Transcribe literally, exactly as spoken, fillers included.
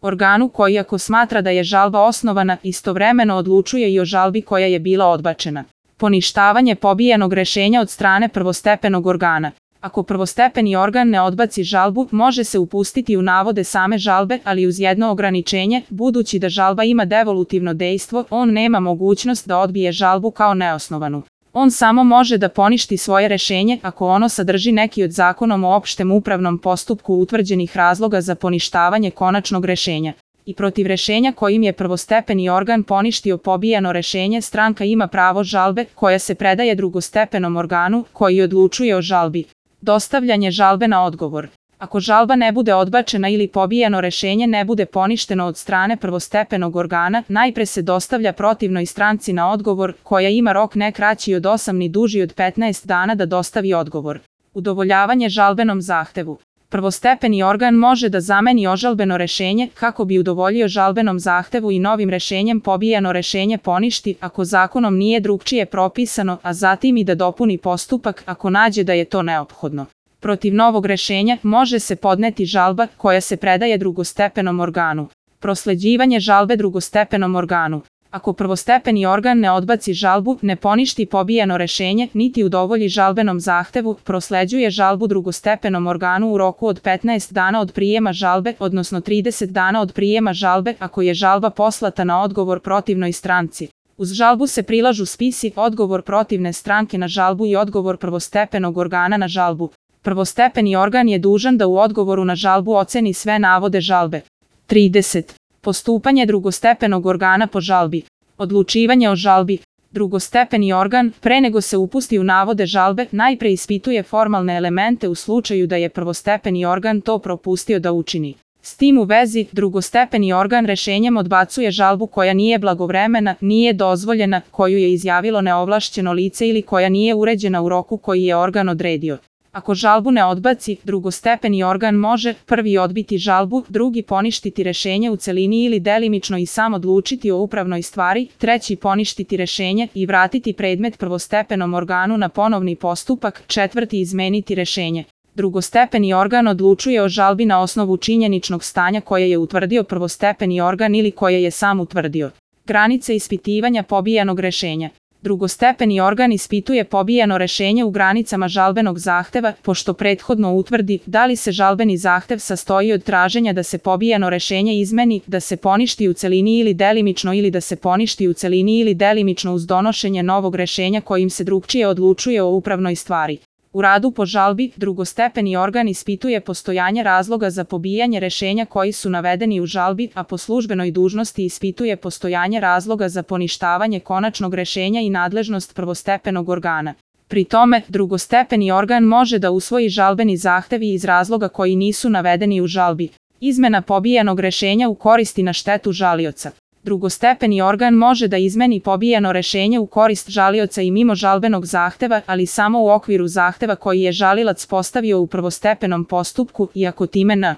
organu koji ako smatra da je žalba osnovana, istovremeno odlučuje i o žalbi koja je bila odbačena. Poništavanje pobijenog rešenja od strane prvostepenog organa. Ako prvostepeni organ ne odbaci žalbu, može se upustiti u navode same žalbe, ali uz jedno ograničenje, budući da žalba ima devolutivno dejstvo, on nema mogućnost da odbije žalbu kao neosnovanu. On samo može da poništi svoje rešenje ako ono sadrži neki od zakonom o opštem upravnom postupku utvrđenih razloga za poništavanje konačnog rešenja. I protiv rešenja kojim je prvostepeni organ poništio pobijeno rešenje, stranka ima pravo žalbe, koja se predaje drugostepenom organu, koji odlučuje o žalbi. Dostavljanje žalbe na odgovor. Ako žalba ne bude odbačena ili pobijeno rešenje ne bude poništeno od strane prvostepenog organa, najpre se dostavlja protivnoj stranci na odgovor, koja ima rok ne kraći od osam ni duži od petnaest dana da dostavi odgovor. Udovoljavanje žalbenom zahtevu. Prvostepeni organ može da zameni ožalbeno rešenje kako bi udovoljio žalbenom zahtevu i novim rešenjem pobijeno rešenje poništi ako zakonom nije drugčije propisano, a zatim i da dopuni postupak ako nađe da je to neophodno. Protiv novog rešenja može se podneti žalba koja se predaje drugostepenom organu. Prosleđivanje žalbe drugostepenom organu. Ako prvostepeni organ ne odbaci žalbu, ne poništi pobijeno rešenje, niti udovolji žalbenom zahtevu, prosleđuje žalbu drugostepenom organu u roku od petnaest dana od prijema žalbe, odnosno trideset dana od prijema žalbe, ako je žalba poslata na odgovor protivnoj stranci. Uz žalbu se prilažu spisi, odgovor protivne stranke na žalbu i odgovor prvostepenog organa na žalbu. Prvostepeni organ je dužan da u odgovoru na žalbu oceni sve navode žalbe. trideset. Postupanje drugostepenog organa po žalbi. Odlučivanje o žalbi. Drugostepeni organ, pre nego se upusti u navode žalbe, najpre ispituje formalne elemente u slučaju da je prvostepeni organ to propustio da učini. S tim u vezi, drugostepeni organ rešenjem odbacuje žalbu koja nije blagovremena, nije dozvoljena, koju je izjavilo neovlašćeno lice ili koja nije uređena u roku koji je organ odredio. Ako žalbu ne odbaci, drugostepeni organ može prvi odbiti žalbu, drugi poništiti rešenje u celini ili delimično i sam odlučiti o upravnoj stvari, treći poništiti rešenje i vratiti predmet prvostepenom organu na ponovni postupak, četvrti izmeniti rešenje. Drugostepeni organ odlučuje o žalbi na osnovu činjeničnog stanja koje je utvrdio prvostepeni organ ili koje je sam utvrdio. Granice ispitivanja pobijenog rešenja. Drugostepeni organ ispituje pobijeno rešenje u granicama žalbenog zahteva, pošto prethodno utvrdi da li se žalbeni zahtev sastoji od traženja da se pobijeno rešenje izmeni, da se poništi u celini ili delimično ili da se poništi u celini ili delimično uz donošenje novog rešenja kojim se drugčije odlučuje o upravnoj stvari. U radu po žalbi, drugostepeni organ ispituje postojanje razloga za pobijanje rešenja koji su navedeni u žalbi, a po službenoj dužnosti ispituje postojanje razloga za poništavanje konačnog rešenja i nadležnost prvostepenog organa. Pri tome, drugostepeni organ može da usvoji žalbeni zahtev iz razloga koji nisu navedeni u žalbi. Izmena pobijenog rešenja u korist i na štetu žalioca. Drugostepeni organ može da izmeni pobijeno rešenje u korist žalioca i mimo žalbenog zahteva, ali samo u okviru zahteva koji je žalilac postavio u prvostepenom postupku i ako time n.